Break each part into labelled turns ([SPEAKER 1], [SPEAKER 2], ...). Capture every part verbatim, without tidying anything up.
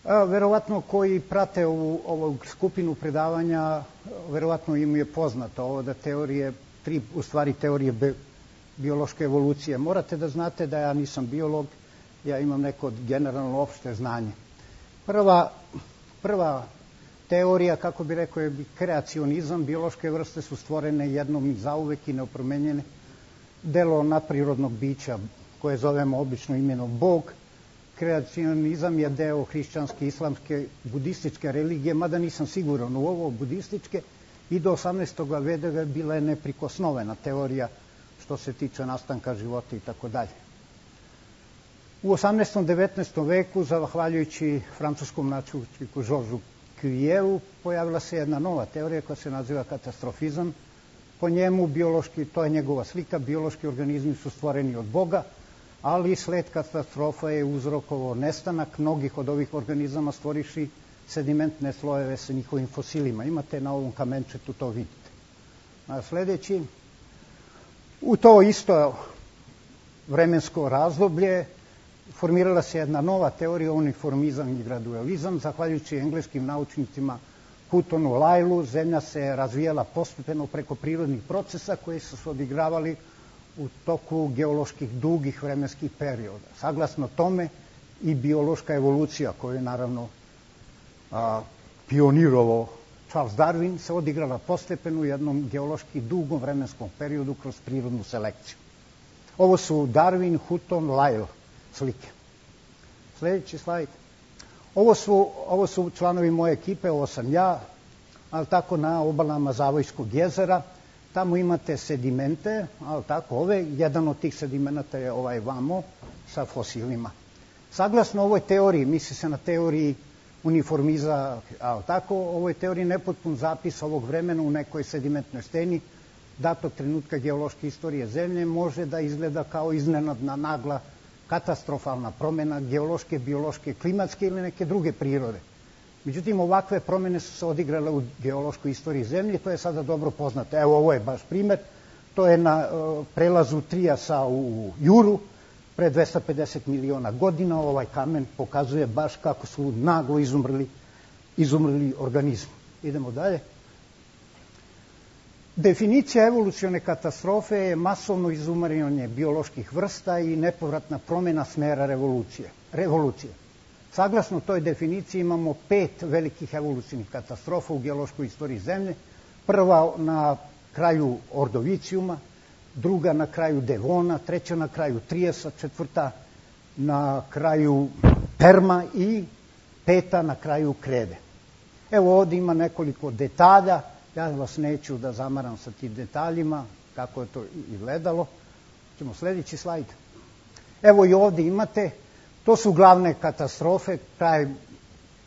[SPEAKER 1] Verovatno koji prate ovu, ovu skupinu predavanja, verovatno im je poznato ovo da teorije, tri u stvari teorije bi, biološke evolucije. Morate da znate da ja nisam biolog, ja imam neko generalno opšte znanje. Prva, prva teorija, kako bi rekao, je kreacionizam. Biološke vrste su stvorene jednom i zauvek i neopromenjene. Delo nadprirodnog bića koje zovemo obično imenom Bog. Kreacionizam je deo hrišćanske, islamske, budističke religije, mada nisam siguran u ovo, budističke, i do osamnaestog veka je bila neprikosnovena teorija što se tiče nastanka života i tako dalje. U osamnaestom. devetnaestom veku, zahvaljujući francuskom naučniku Georgesu Cuvieru, pojavila se jedna nova teorija koja se naziva katastrofizam. Po njemu, biološki, to je njegova slika, biološki organizmi su stvoreni od Boga, ali sled katastrofa je uzrokovao nestanak mnogih od ovih organizama, stvoriši sedimentne slojeve sa njihovim fosilima. Imate na ovom kamenčetu, to vidite. A sledeći, u to isto vremensko razdoblje formirala se jedna nova teorija, uniformizam i gradualizam. Zahvaljujući engleskim naučnicima Huttonu, Lyellu, zemlja se razvijala postepeno preko prirodnih procesa koji su se odigravali u toku geoloških dugih vremenskih perioda. Saglasno tome i biološka evolucija, koju je naravno a, pionirovao Charles Darwin, se odigrala postepeno u jednom geološki dugom vremenskom periodu kroz prirodnu selekciju. Ovo su Darwin, Hutton, Lyell slike. Sljedeći slajd. Ovo su, ovo su članovi moje ekipe, ovo sam ja, ali tako na obalama Zavojskog jezera. Tamo imate sedimente, ali tako ove, jedan od tih sedimenata je ovaj vamo sa fosilima. Saglasno ovoj teoriji, misli se na teoriji uniformiza, ali tako, ovoj teoriji nepotpun zapis ovog vremena u nekoj sedimentnoj steni, datog trenutka geološke istorije Zemlje, može da izgleda kao iznenadna, nagla, katastrofalna promena geološke, biološke, klimatske ili neke druge prirode. Međutim, ovakve promene su se odigrale u geološkoj istoriji Zemlje, to je sada dobro poznato. Evo, ovo je baš primer. To je na uh, prelazu Trijasa u Juru, pre dvesta pedeset miliona godina. Ovaj kamen pokazuje baš kako su naglo izumrli, izumrli organizmi. Idemo dalje. Definicija evolucione katastrofe je masovno izumiranje bioloških vrsta i nepovratna promena smera revolucije. revolucije. Saglasno toj definiciji imamo pet velikih evolucijnih katastrofa u geološkoj istoriji Zemlje. Prva na kraju Ordovicijuma, druga na kraju Devona, treća na kraju Trijasa, četvrta na kraju Perma i peta na kraju Krede. Evo ovdje ima nekoliko detalja, ja vas neću da zamaram sa tim detaljima, kako je to izgledalo. Ćemo sljedeći slajd. Evo i ovdje imate, to su glavne katastrofe, kraj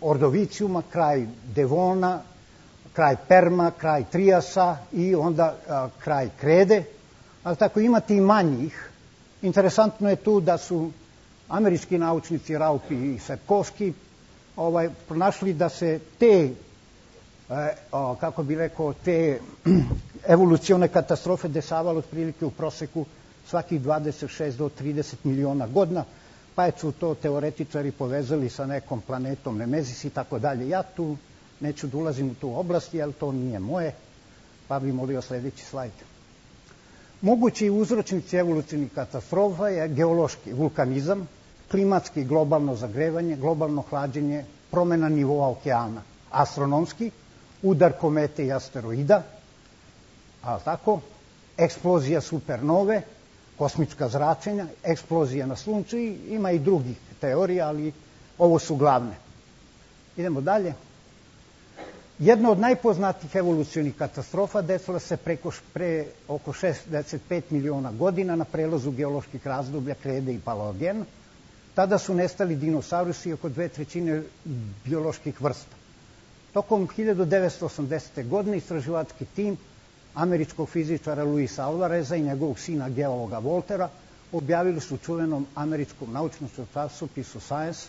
[SPEAKER 1] Ordovicijuma, kraj Devona, kraj Perma, kraj Trijasa i onda a, kraj Krede. Ali tako imate i manjih. Interesantno je tu da su američki naučnici Raupi i Sepkovski ovaj, pronašli da se te, e, o, kako bi rekao, te evolucione katastrofe dešavale otprilike u proseku svakih dvadeset šest do trideset miliona godina, pa su to teoretičari povezali sa nekom planetom Nemezis i tako dalje. Ja tu neću da ulazim u tu oblast, jer to nije moje, pa bih molio sljedeći slajd. Mogući uzročnici evolucijnih katastrofa je geološki vulkanizam, klimatski globalno zagrevanje, globalno hlađenje, promena nivoa okeana, astronomski, udar komete i asteroida, ali tako, eksplozija supernove, kosmička zračenja, eksplozija na Suncu i ima i drugih teorija, ali ovo su glavne. Idemo dalje. Jedna od najpoznatijih evolucionih katastrofa desila se preko, pre oko šezdeset pet miliona godina na prelazu geoloških razdoblja Krede i Paleogena. Tada su nestali dinosaurusi i oko dve trećine bioloških vrsta. Tokom hiljadu devetsto osamdesete. godine istraživački tim američkog fizičara Luisa Alvareza i njegovog sina geologa Voltera objavili su u čuvenom američkom naučnom časopisu Science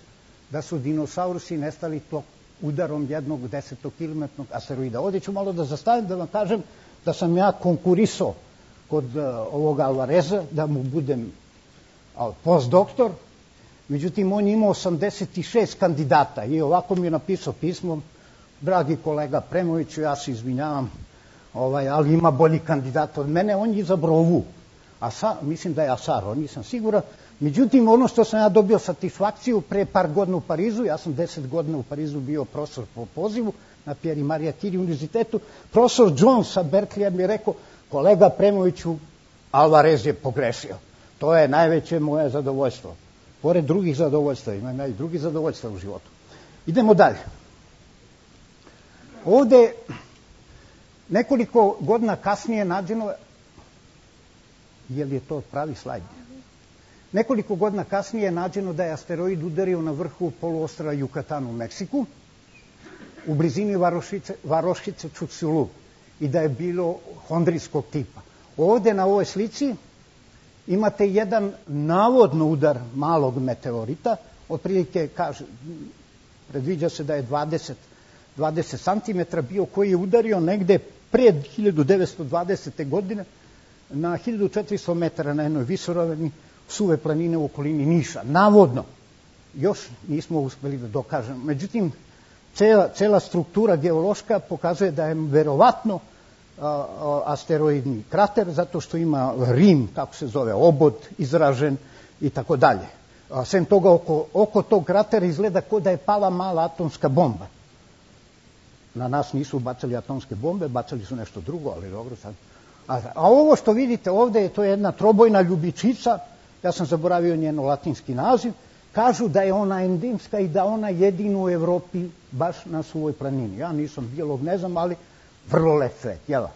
[SPEAKER 1] da su dinosaurusi nestali to udarom jednog desetkilometrnog asteroida. Ovdje ću malo da zastavim da vam kažem da sam ja konkurisao kod uh, ovoga Alvareza, da mu budem uh, postdoktor. Međutim, on je imao osamdeset šest kandidata i ovako mi je napisao pismo: dragi kolega Premoviću, ja se izvinjavam, ovaj, ali ima bolji kandidat od mene, on je izabrao ovu. Asa, mislim da je Asaro, nisam siguran. Međutim, ono što sam ja dobio satisfakciju pre par godina u Parizu, ja sam deset godina u Parizu bio profesor po pozivu na Pierre i Maria Curie univerzitetu, profesor Jones sa Berkeleya mi je rekao: kolega Premoviću, Alvarez je pogrešio. To je najveće moje zadovoljstvo. Pored drugih zadovoljstva, ima i drugih zadovoljstva u životu. Idemo dalje. Ovde nekoliko godina kasnije nađeno, je li je to pravi slajd? Nekoliko godina kasnije je nađeno da je asteroid udario na vrhu poluostrva Yucatan u Meksiku, u blizini varošice, varošice Čuculu, i da je bilo hondrijskog tipa. Ovde na ovoj slici imate jedan navodno udar malog meteorita, otprilike kaže, predviđa se da je dvadeset centimetara bio, koji je udario negde pred hiljadu devetsto dvadesete. godine na hiljadu četiristo metara na jednoj visoravni suve planine u okolini Niša. Navodno. Još nismo uspeli da dokažemo. Međutim, cela, cela struktura geološka pokazuje da je verovatno asteroidni krater, zato što ima rim, kako se zove, obod izražen i tako dalje. Sem toga, oko, oko tog kratera izgleda kao da je pala mala atomska bomba. Na nas nisu bacali atomske bombe, bacali su nešto drugo, ali dobro sad. A, a ovo što vidite ovde, to je jedna trobojna ljubičica, ja sam zaboravio njeno latinski naziv, kažu da je ona endemska i da ona jedina u Evropi baš na svojoj planini. Ja nisam biolog, ne znam, ali vrlo lep svet, jel?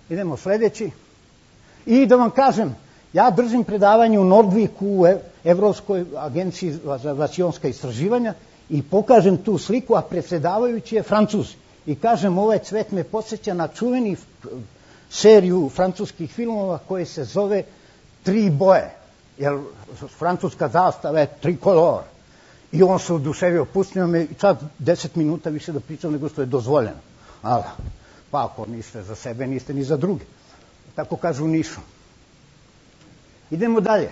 [SPEAKER 1] Idemo sledeći. I da vam kažem, ja držim predavanje u Nordviku u Evropskoj agenciji za vacionska istraživanja i pokažem tu sliku, a predsedavajući je Francuz. I kažem, ovaj cvet me podsjeća na čuveni seriju francuskih filmova koje se zove Tri boje. Jer francuska zastava je trikolor. I on se oduševio, pustio me čak deset minuta više da pričam nego što je dozvoljeno. Ali, pa ako niste za sebe, niste ni za druge. Tako kažu u Nišu. Idemo dalje.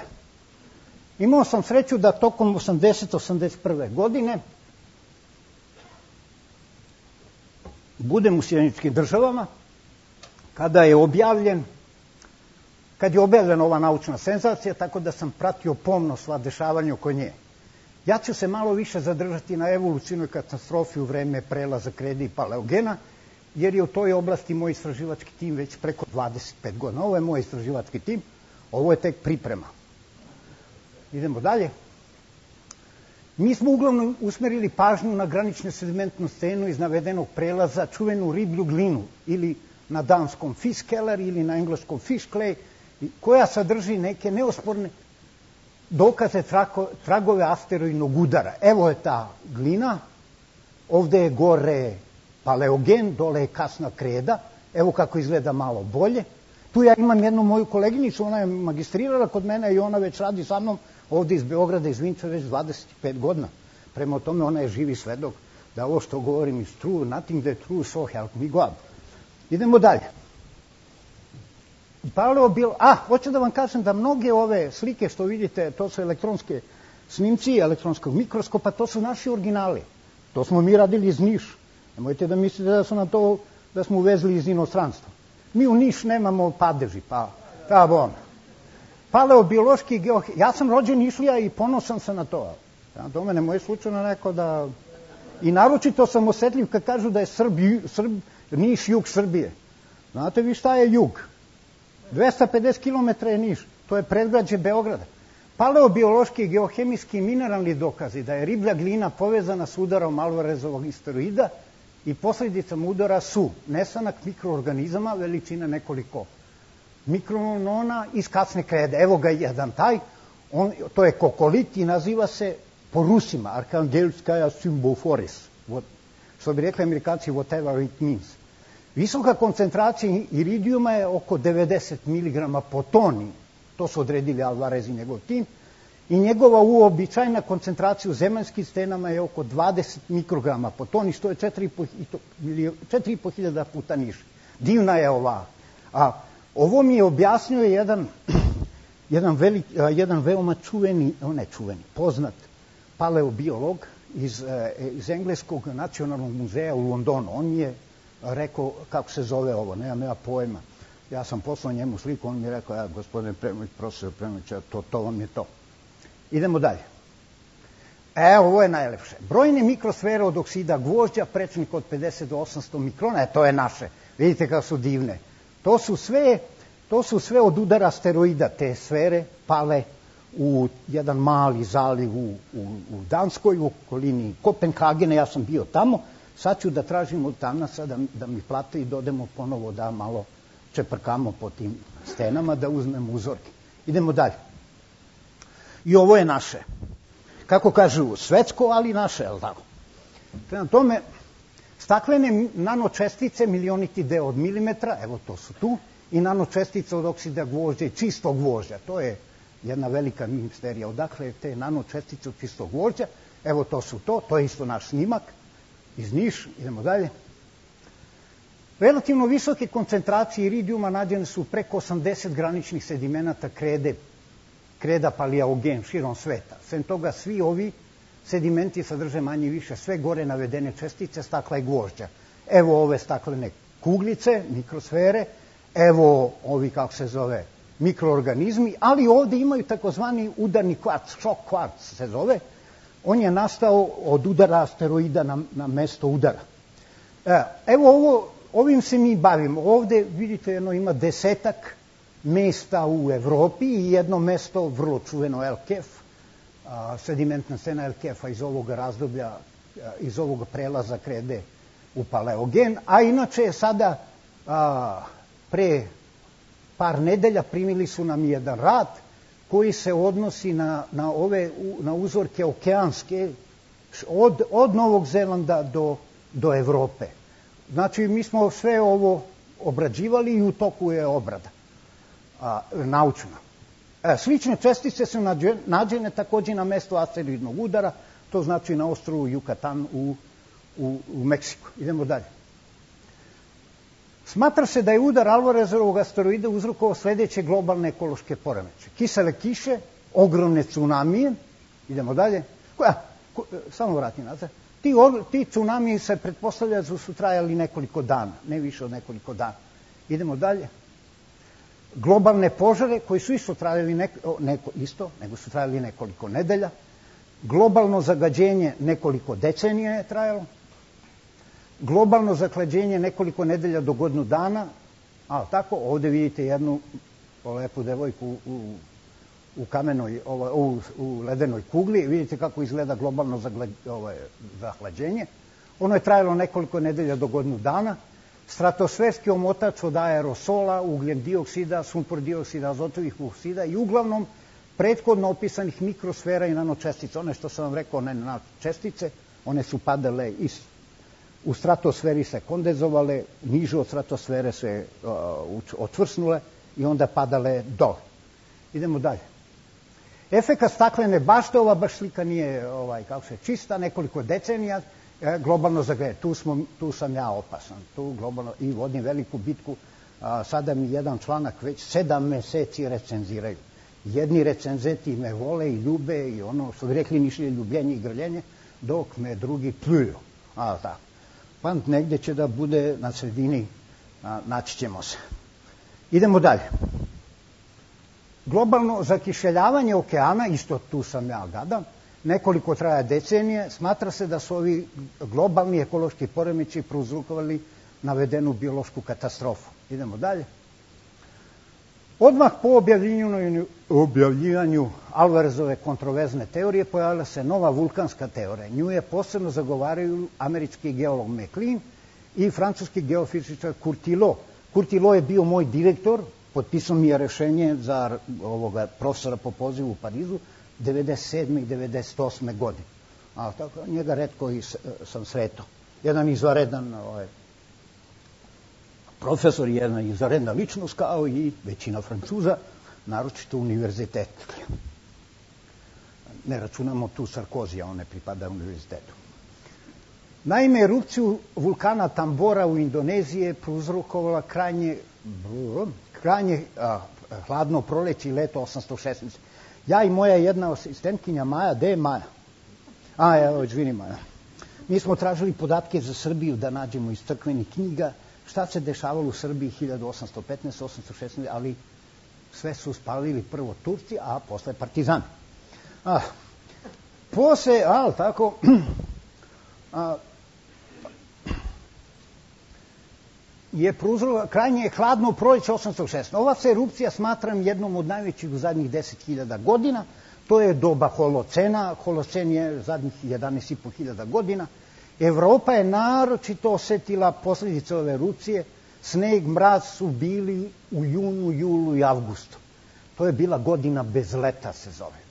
[SPEAKER 1] Imao sam sreću da tokom osamdeset osamdeset prve. godine budem u Sjedinjenim Državama, kada je objavljen kad je objavljena ova naučna senzacija, tako da sam pratio pomno sva dešavanja oko nje. Ja ću se malo više zadržati na evolucijnoj katastrofi u vreme prelaza kreda i paleogena, jer je u toj oblasti moj istraživački tim već preko dvadeset pet godina. Ovo je moj istraživački tim, ovo je tek priprema. Idemo dalje. Mi smo uglavnom usmerili pažnju na graničnu sedimentnu stenu iz navedenog prelaza, čuvenu riblju glinu, ili na danskom fiskkeller ili na engleskom fish clay, koja sadrži neke neosporne dokaze tragove asteroidnog udara. Evo je ta glina, ovde je gore paleogen, dole je kasna kreda, evo kako izgleda malo bolje. Tu ja imam jednu moju koleginicu, ona je magistrirala kod mene i ona već radi sa mnom ovde iz Beograda, iz Vinča, već dvadeset pet godina. Prema tome ona je živi svedok da ovo što govorim is true, nothing that true, so help me God. Idemo dalje. Paleobil, a, hoću da vam kažem da mnoge ove slike što vidite, to su elektronske snimci, elektronskog mikroskopa, to su naši originali. To smo mi radili iz Niša. Nemojte da mislite da su na to, da smo uvezli iz inostranstva. Mi u Niš nemamo padeži, pa, ta bon. Paleobiološki geohemijski, ja sam rođen Nišlija i ponosan sam na to. Ja, do mene moje slučajno neko da... I naročito sam osetljiv kad kažu da je Srb, Srb, Niš jug Srbije. Znate vi šta je jug? dvesta pedeset kilometara je Niš, to je predgrađe Beograda. Paleobiološki, geohemijski i mineralni dokazi da je riblja glina povezana s udarom Alvarezovog asteroida i posledicama udara su nestanak mikroorganizama veličine nekoliko mikronona iz kasne krede. Evo ga jedan taj, on, to je kokolit i naziva se po Rusima Arhangelskaja Symboforis, što bi rekli Amerikanci whatever it means. Visoka koncentracija iridijuma je oko devedeset miligrama po toni, to su odredili Alvarez i njegov tim, i njegova uobičajna koncentracija u zemaljskim stenama je oko dvadeset mikrograma po toni, što je četiri i po hiljada puta niže. Divna je ova. A ovo mi je objasnio jedan, jedan, velik, jedan veoma čuveni, ne čuveni, poznat paleobiolog iz, iz Engleskog nacionalnog muzeja u Londonu. On mi je rekao kako se zove ovo, nemam ja pojma. Ja sam poslao njemu sliku, on mi je rekao, ja, gospodine Premović, profesor Premović, to, to vam je to. Idemo dalje. E, ovo je najlepše. Brojne mikrosfere od oksida gvožđa, prečnik od pedeset do osamsto mikrona, e, to je naše. Vidite kako su divne. To su sve, to su sve od udara asteroida, te sfere pale u jedan mali zaliv u, u, u Danskoj, u okolini Kopenhagena, ja sam bio tamo. Sad ću da tražim od tamnaca da, da mi plate i dodemo ponovo da malo čeprkamo po tim stenama, da uzmemo uzorke. Idemo dalje. I ovo je naše. Kako kažu, svetsko, ali naše, je li tako? Prema tome, staklene nanočestice, milioniti deo od milimetra, evo to su tu, i nanočestice od oksida gvožđa i čistog gvožđa. To je jedna velika misterija. Odakle te nanočestice od čistog gvožđa, evo to su to, to je isto naš snimak iz Niš, idemo dalje. Relativno visoke koncentracije iridijuma nađene su preko osamdeset graničnih sedimenata krede, kreda paleogen širom sveta. Sem toga, svi ovi sedimenti sadrže manje i više sve gore navedene čestice stakla i gvožđa. Evo ove staklene kuglice, mikrosfere, evo ovi, kako se zove, mikroorganizmi, ali ovde imaju takozvani udarni kvarc, šok kvarc se zove. On je nastao od udara asteroida na, na mesto udara. Evo ovo, ovim se mi bavimo. Ovde, vidite, jedno ima desetak mesta u Evropi i jedno mesto, vrlo čuveno El Kef, sedimentna stena El Kefa iz ovog razdoblja, iz ovog prelaza krede u paleogen, a inače sada a, pre par nedelja primili su nam jedan rad koji se odnosi na, na, ove, na uzorke okeanske od, od Novog Zelanda do, do Evrope. Znači, mi smo sve ovo obrađivali i u toku je obrada a, naučna. E, slične čestice su nađene takođe na mestu asteroidnog udara, to znači na ostrvu Yucatan u, u, u Meksiku. Idemo dalje. Smatra se da je udar Alvarezovog asteroida uzrokovao sledeće globalne ekološke poremeće. Kisele kiše, ogromne tsunamije, idemo dalje. Koja, ko, samo vrati nazad. Ti, ti tsunamiji se pretpostavlja da su trajali nekoliko dana, ne više od nekoliko dana. Idemo dalje. Globalne požare koji su isto trajali neko, neko, isto, nego su trajali nekoliko nedelja. Globalno zagađenje nekoliko decenija je trajalo. Globalno zaklađenje nekoliko nedelja do godinu dana, a tako, ovde vidite jednu lepu devojku u, u kamenoj, u, u ledenoj kugli, vidite kako izgleda globalno zahlađenje. Ono je trajalo nekoliko nedelja do godinu dana. Stratosferski omotač od aerosola, ugljen dioksida, sumpor dioksida, azotovih oksida i uglavnom prethodno opisanih mikrosfera i nanočestica. One što sam vam rekao, one nanočestice, one su padale iz u stratosferi se kondenzovale, niže od stratosfere se uh, otvrsnule i onda padale dole. Idemo dalje. Efekat staklene bašte, ova baš slika nije ovaj, kako se čista, nekoliko decenija, e, globalno zagreje. Tu, smo, tu sam ja opasan, tu globalno, i vodim veliku bitku. A, sada mi jedan članak već sedam meseci recenziraju. Jedni recenzenti me vole i ljube i ono što bi rekli nišlje ljubljenje i grljenje, dok me drugi pljuju. A, tako. Pa negde će da bude na sredini, a, naći ćemo se. Idemo dalje. Globalno zakišeljavanje okeana, isto tu sam ja gadam, nekoliko traja decenije, smatra se da su ovi globalni ekološki poremeći prouzrokovali navedenu biološku katastrofu. Idemo dalje. Odmah po objavljivanju, objavljivanju Alvarezove kontroverzne teorije pojavila se nova vulkanska teorija. Nju je posebno zagovaraju američki geolog McLean i francuski geofizičar Curtilo. Curtilo je bio moj direktor, potpisao mi je rešenje za ovoga profesora po pozivu u Parizu devedeset sedme i devedeset osme godine. A tako, njega retko i sam sretao. Jedan izvaredan ovaj, profesor, jedna izvaredna ličnost, kao i većina Francuza, naročito univerzitet. Ne računamo tu Sarkozija, on ne pripada univerzitetu. Naime, erupciju vulkana Tambora u Indoneziji je prouzrokovala krajnje, krajnje a, hladno proleće i leto osamsto šesnaest. Ja i moja jedna asistentkinja Maja, gde je Maja? A, evo, izvini Maja. Mi smo tražili podatke za Srbiju da nađemo iz crkvenih knjiga šta se dešavalo u Srbiji hiljadu osamsto petnaest osamsto šesnaest, ali sve su spalili prvo Turci, a posle Partizani. A, posle, ali tako, a, je prouzročilo krajnje hladno proleće osamsto šesnaest. Ova se erupcija smatram jednom od najvećih u zadnjih deset hiljada godina. To je doba holocena. Holocen je zadnjih jedanaest i po hiljada godina. Evropa je naročito osetila posledice ove erupcije. Sneg, mraz su bili u junu, julu i avgustu. To je bila godina bez leta, se zove.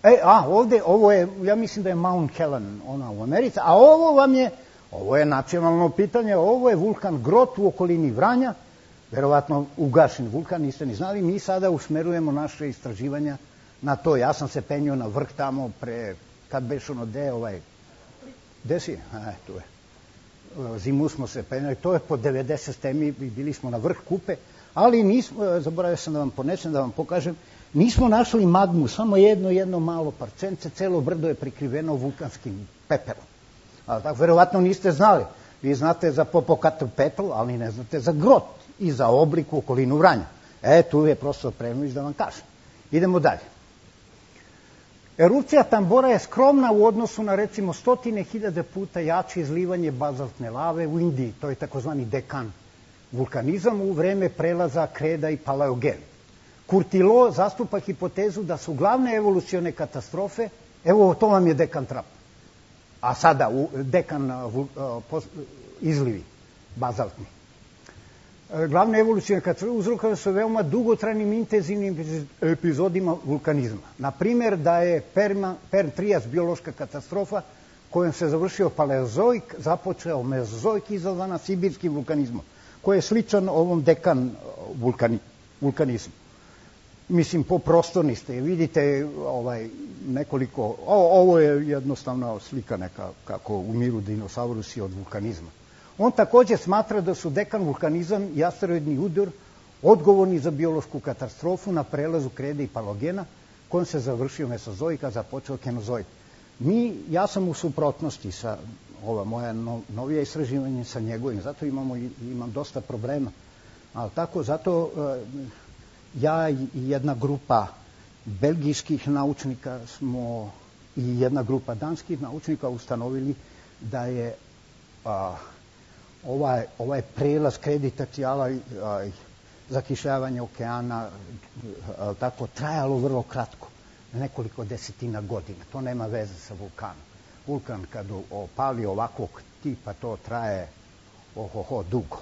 [SPEAKER 1] E, a, ovde, ovo je, ja mislim da je Mount Helen, ona u Americi, a ovo vam je, ovo je nacionalno pitanje, ovo je vulkan Grot u okolini Vranja, verovatno ugašen vulkan, niste ni znali, mi sada usmerujemo naše istraživanja na to. Ja sam se penio na vrh tamo pre, kad beš ono, de, ovaj, gde si? E, tu je. Zimu smo se penjali, to je po devedeset stemi, bili smo na vrh Kupe, ali nismo, zaboravio sam da vam ponesem, da vam pokažem, nismo našli magmu, samo jedno, jedno malo parcence, celo brdo je prikriveno vulkanskim pepelom. Ali tako, verovatno niste znali. Vi znate za Popocatépetl, ali ne znate za Grot i za oblik u okolinu Vranja. E, tu je profesor Prenović da vam kažem. Idemo dalje. Erupcija Tambora je skromna u odnosu na, recimo, stotine hiljade puta jače izlivanje bazaltne lave u Indiji. To je takozvani dekan vulkanizam u vreme prelaza Kreda i Paleogen. Kurtilo zastupa hipotezu da su glavne evolucione katastrofe, evo to vam je dekan trap, a sada dekan izlivi bazaltni. Glavne evolucione katastrofe uzrokovane su veoma dugotrajnim intenzivnim epizodima vulkanizma. Na primjer, da je Perm-Trias biološka katastrofa kojom se završio paleozoik, započeo mezozoik izazvana sibirskim vulkanizmom, koji je sličan ovom dekan vulkanizmu. Mislim, po prostorni ste, vidite ovaj, nekoliko, o, ovo je jednostavna slika neka kako umiru dinosaurusi od vulkanizma. On takođe smatra da su dekan vulkanizam i asteroidni udar odgovorni za biološku katastrofu na prelazu Krede i Paleogena, kojom se završio mesozoik, a započeo kenozoik. Mi, ja sam u suprotnosti sa ova moja no, novija istraživanja sa njegovim, zato imamo, imam dosta problema. Ali tako, zato ja i jedna grupa belgijskih naučnika smo i jedna grupa danskih naučnika ustanovili da je a, ovaj, ovaj prelaz kreditacijala i zakišljavanja okeana a, tako trajalo vrlo kratko, nekoliko desetina godina. To nema veze sa vulkanom. Vulkan kad opali ovakvog tipa, to traje ohoho dugo.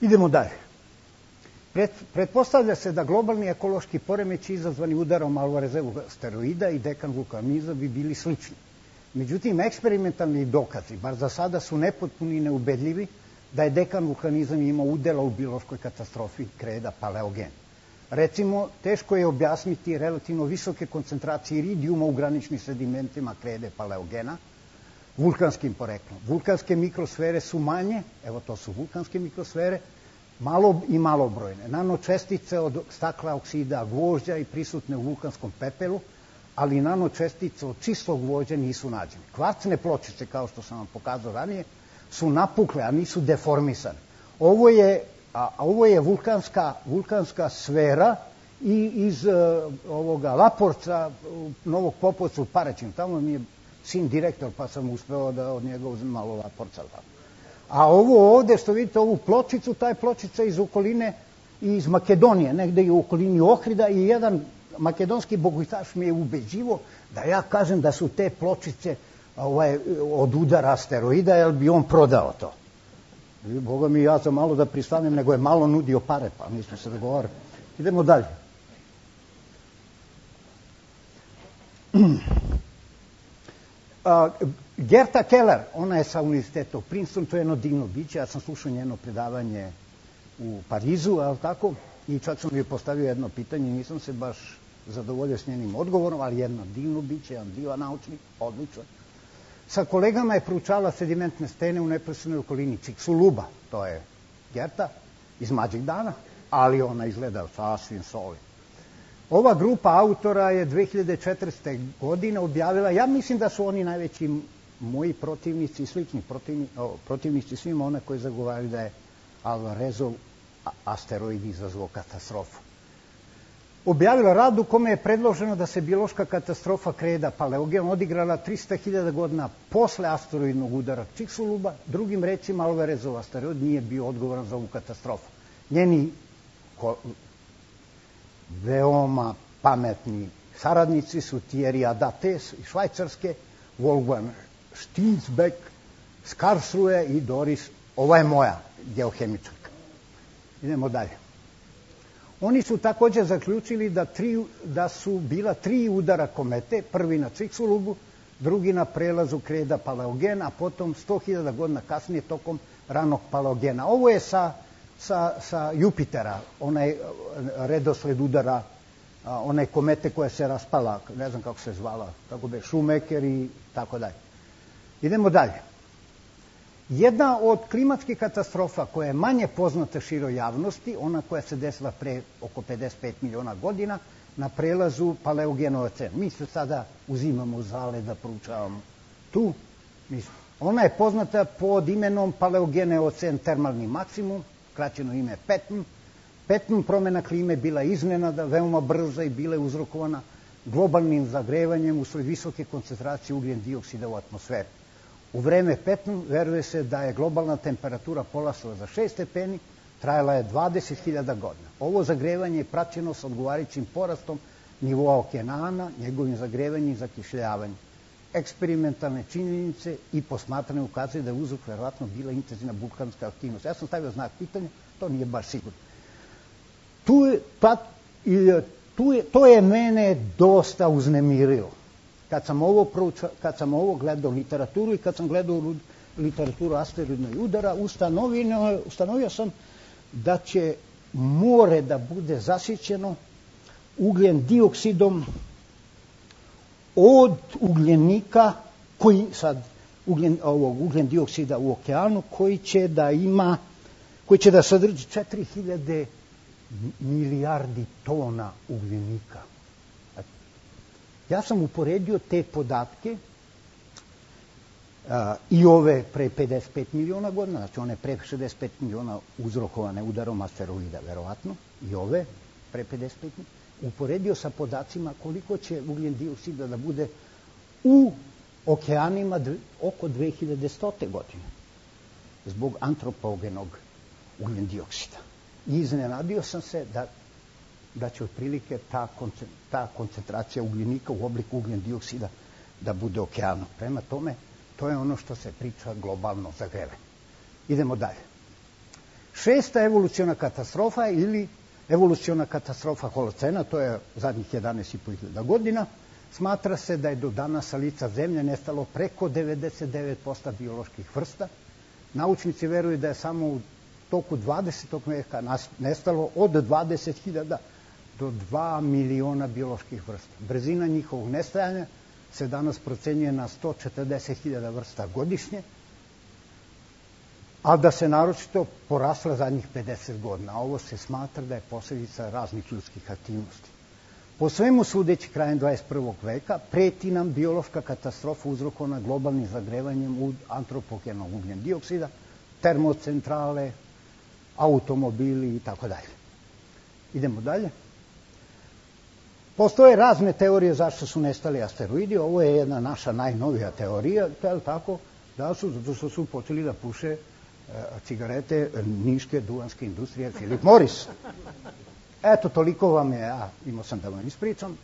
[SPEAKER 1] Idemo dalje. Pretpostavlja se da globalni ekološki poremeći izazvani udarom Alvarezovog asteroida i dekan vulkanizam bi bili slični. Međutim, eksperimentalni dokazi, bar za sada, su nepotpuni i neubedljivi da je dekan vulkanizam imao udela u biološkoj katastrofi Kreda Paleogen. Recimo, teško je objasniti relativno visoke koncentracije iridijuma u graničnim sedimentima Krede Paleogena vulkanskim poreklom. Vulkanske mikrosfere su manje, evo to su vulkanske mikrosfere, malo i malobrojne. Nanočestice od stakla, oksida, gvožđa i prisutne u vulkanskom pepelu, ali nanočestice od čistog gvožđa nisu nađene. Kvarcne pločice, kao što sam vam pokazao ranije, su napukle, a nisu deformisane. Ovo je, a, ovo je vulkanska, vulkanska sfera i iz uh, ovoga Laporca, Novog Popovca u Paraćinu. Tamo mi je sin direktor, pa sam uspeo da od njega uzem malo Laporca. A ovo ovde, što vidite, ovu pločicu, ta je pločica iz okoline, iz Makedonije, negde i u okolini Ohrida, i jedan makedonski bogutaš mi je ubeđivo da ja kažem da su te pločice ovaj, od udara asteroida, jer bi on prodao to. I, Boga mi, ja sam malo da pristanem, nego je malo nudio pare, pa nismo se dogovorili. Idemo dalje. A, Gerta Keller, ona je sa univerziteta u Princeton, to je jedno divno biće, ja sam slušao njeno predavanje u Parizu, ali tako, i čak sam joj postavio jedno pitanje, nisam se baš zadovoljio s njenim odgovorom, ali jedno divno biće, jedan divan naučnik, odličan. Sa kolegama je proučala sedimentne stene u neposrednoj okolini Chicxuluba, to je Gerta, iz Mlađeg dana, ali ona izgleda sasvim solidno. Ova grupa autora je dve hiljade četvrte. godine objavila, ja mislim da su oni najveći moji protivnici i slični protivnici, protivnici svima one koji zagovaraju da je Alvarezov asteroid izazvao katastrofu. Objavila rad u kome je predloženo da se biološka katastrofa Kreda Paleogen odigrala trista hiljada godina posle asteroidnog udara Čikxuluba. Drugim rečima, Alvarezov asteroid nije bio odgovoran za ovu katastrofu. Njeni veoma pametni saradnici su Thierry Adates iz Švajcarske, Wolfgang Stinsbeck iz Karlsruhe i Doris, ova je moja geohemičarka. Idemo dalje. Oni su takođe zaključili da, tri, da su bila tri udara komete, prvi na Čikxulubu, drugi na prelazu Kreda Paleogena, a potom sto hiljada godina kasnije tokom ranog Paleogena. Ovo je sa, sa, sa Jupitera, onaj redosled udara, one komete koja se raspala, ne znam kako se zvala, tako be, Shoemaker i tako dalje. Idemo dalje. Jedna od klimatskih katastrofa koja je manje poznata široj javnosti, ona koja se desila pre oko pedeset pet miliona godina, na prelazu Paleogen-Eocen. Mi se sada uzimamo zale da proučavamo tu. Ona je poznata pod imenom Paleogen-Eocen termalni maksimum, kraćeno ime PETM. PETM promena klime bila iznenada, veoma brza i bila je uzrokovana globalnim zagrevanjem usled visoke koncentracije ugljen dioksida u atmosferi. U vreme PETM veruje se da je globalna temperatura porasla za šest stepeni, trajala je dvadeset hiljada godina. Ovo zagrevanje je praćeno sa odgovarajućim porastom nivoa okeana, njegovim zagrevanjem i zakišljavanjem. Eksperimentalne činjenice i posmatranje ukazuju da je uzrok verovatno bila intenzivna vulkanska aktivnost. Ja sam stavio znak pitanja, to nije baš sigurno. Tu je, pa, tu je, to je mene dosta uznemirilo. Kad sam ovo, prouča, kad sam ovo gledao literaturu i kad sam gledao literaturu asteroidnog udara, ustanovio, ustanovio sam da će more da bude zasićeno ugljen dioksidom od ugljenika, koji sad, ugljen, ovog ugljen dioksida u okeanu, koji će da ima, koji će da sadrži četiri hiljade milijardi tona ugljenika. Ja sam uporedio te podatke a, i ove pre pedeset pet miliona godina, znači one pre šezdeset pet miliona uzrokovane udarom asteroida, verovatno, i ove pre pedeset pet miliona, uporedio sa podacima koliko će ugljen dioksida da bude u okeanima oko dve hiljade stote. godine, zbog antropogenog ugljen dioksida. I iznenadio sam se da da će otprilike ta, ta koncentracija ugljenika u obliku ugljen dioksida da bude okeanom. Prema tome, to je ono što se priča globalno zagrevanje. Idemo dalje. Šesta evoluciona katastrofa ili evoluciona katastrofa holocena, to je zadnjih jedanaest i po hiljada godina, smatra se da je do danas sa lica zemlje nestalo preko devedeset devet posto bioloških vrsta. Naučnici veruju da je samo u toku dvadesetog veka nestalo od dvadeset hiljada do dva miliona bioloških vrsta. Brzina njihovog nestajanja se danas procenjuje na sto četrdeset hiljada vrsta godišnje, a da se naročito porasla zadnjih pedeset godina. Ovo se smatra da je posljedica raznih ljudskih aktivnosti. Po svemu sudeći krajem dvadeset prvog veka preti nam biološka katastrofa uzrokovana globalnim zagrevanjem u antropogenog ugljen dioksida, termocentrale, automobili i tako dalje. Idemo dalje. Postoje razne teorije zašto su nestali asteroidi. Ovo je jedna naša najnovija teorija, je tako, da su, zato što su počeli da puše e, cigarete niške duvanske industrije Philip Morris. Eto, toliko vam je, ja imao sam da vam ispričam.